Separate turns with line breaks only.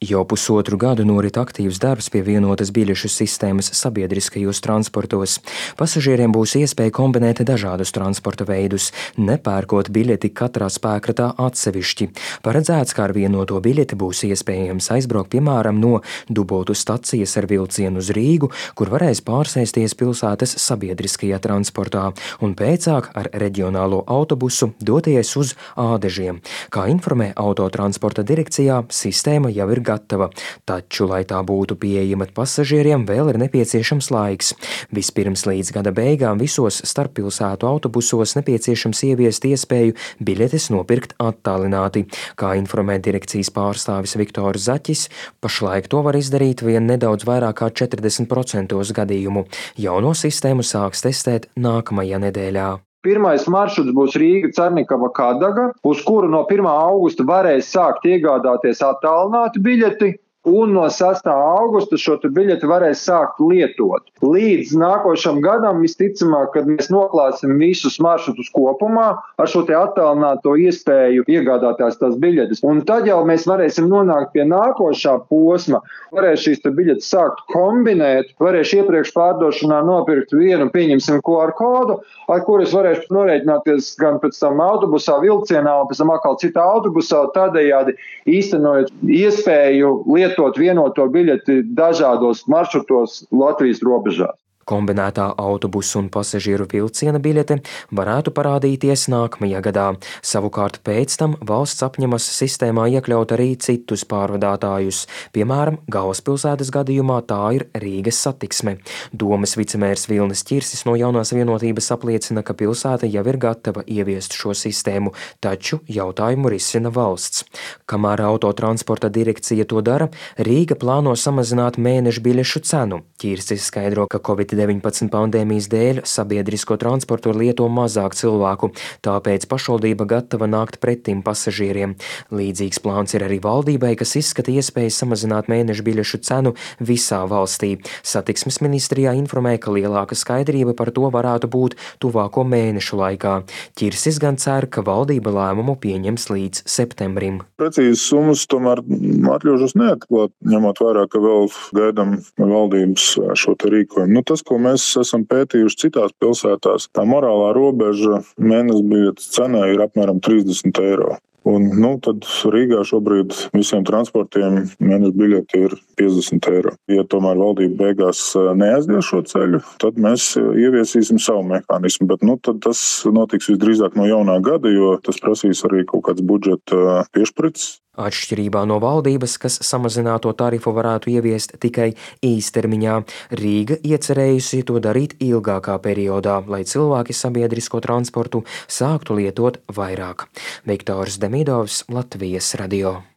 Jau pusotru gadu norit aktīvs darbs pie vienotas biļešu sistēmas sabiedriskajos transportos. Pasažieriem būs iespēja kombinēt dažādus transporta veidus, nepērkot biļeti katrā spēkratā atsevišķi. Paredzēts, ka ar vienoto biļeti būs iespējams aizbraukt piemēram no Dubultu stacijas ar vilcienu uz Rīgu, kur varēs pārsēsties pilsētas sabiedriskajā transportā, un pēcāk ar reģionālo autobusu doties uz Ādežiem. Kā informē Autotransporta direkcijā, sistēma jau ir gatava, taču, lai tā būtu pieejama pasažieriem, vēl ir nepieciešams laiks. Vispirms līdz gada beigām visos starppilsētu autobusos nepieciešams ieviest iespēju biļetes nopirkt attālināti. Kā informē direkcijas pārstāvis Viktors Zaķis, pašlaik to var izdarīt vien nedaudz vairāk kā 40% gadījumu. Jauno sistēmu sāks testēt nākamajā nedēļā.
Pirmais maršruts būs Rīga-Cernikava-Kadaga, uz kuru no 1. augusta varēs sākt iegādāties attālinātu biļeti, un no 6. augusta šo biļeti varēs sākt lietot. Līdz nākošam gadam visticamāk, kad mēs noklāsim visus maršrutus kopumā ar šo attālināto iespēju iegādāties tās biļetes. Un tad jau mēs varēsim nonākt pie nākošā posma. Varēs šīs biļetes sākt kombinēt, varēšu iepriekš pārdošanā nopirkt vienu, pieņemsim QR kodu, ar kuru es varēšu norēķināties gan pēc tam autobusā, vilcienā, un pēc tam atkal citā autobusā, tādējādi īstenojot iespēju lietot vienoto biļeti dažādos maršrutos Latvijas robežās.
Kombinētā autobusu un pasažieru vilciena biļete varētu parādīties nākamajā gadā. Savukārt pēc tam valsts apņemas sistēmā iekļaut arī citus pārvadātājus. Piemēram, galvaspilsētas gadījumā tā ir Rīgas satiksme. Domes vicemērs Vilnis Ķirsis no Jaunās vienotības apliecina, ka pilsēta jau ir gatava ieviest šo sistēmu, taču jautājumu risina valsts. Kamēr Autotransporta direkcija to dara, Rīga plāno samazināt mēneša biļešu cenu. Ķirsis skaidro, ka Covid-19 pandēmijas dēļ sabiedrisko transportu lieto mazāk cilvēku, tāpēc pašvaldība gatava nākt pretim pasažieriem. Līdzīgs plāns ir arī valdībai, kas izskata iespēju samazināt mēneša biļešu cenu visā valstī. Satiksmes ministrijā informē, ka lielāka skaidrība par to varētu būt tuvāko mēnešu laikā. Ķirsis gan cer, ka valdība lēmumu pieņems līdz septembrim.
Precīzas summas tomēr atļaušos neatklāt, ņemot vērā, ka vēl gaidām valdības šo rīkojumu. Tas, ko mēs esam pētījuši citās pilsētās, tā morālā robeža mēneša biļetes cenai ir apmēram 30 eiro. Un, tad Rīgā šobrīd visiem transportiem mēneša biļete ir 50 eiro. Ja tomēr valdība beigās neaizies šo ceļu, tad mēs ieviesīsim savu mehānismu. Bet tad tas notiks visdrīzāk no jaunā gada, jo tas prasīs arī kaut kāds budžeta piešprits.
Atšķirībā no valdības, kas samazināto tarifu varētu ieviest tikai īstermiņā, Rīga iecerējusi to darīt ilgākā periodā, lai cilvēki sabiedrisko transportu sāktu lietot vairāk. Viktors Demidovs, Latvijas radio.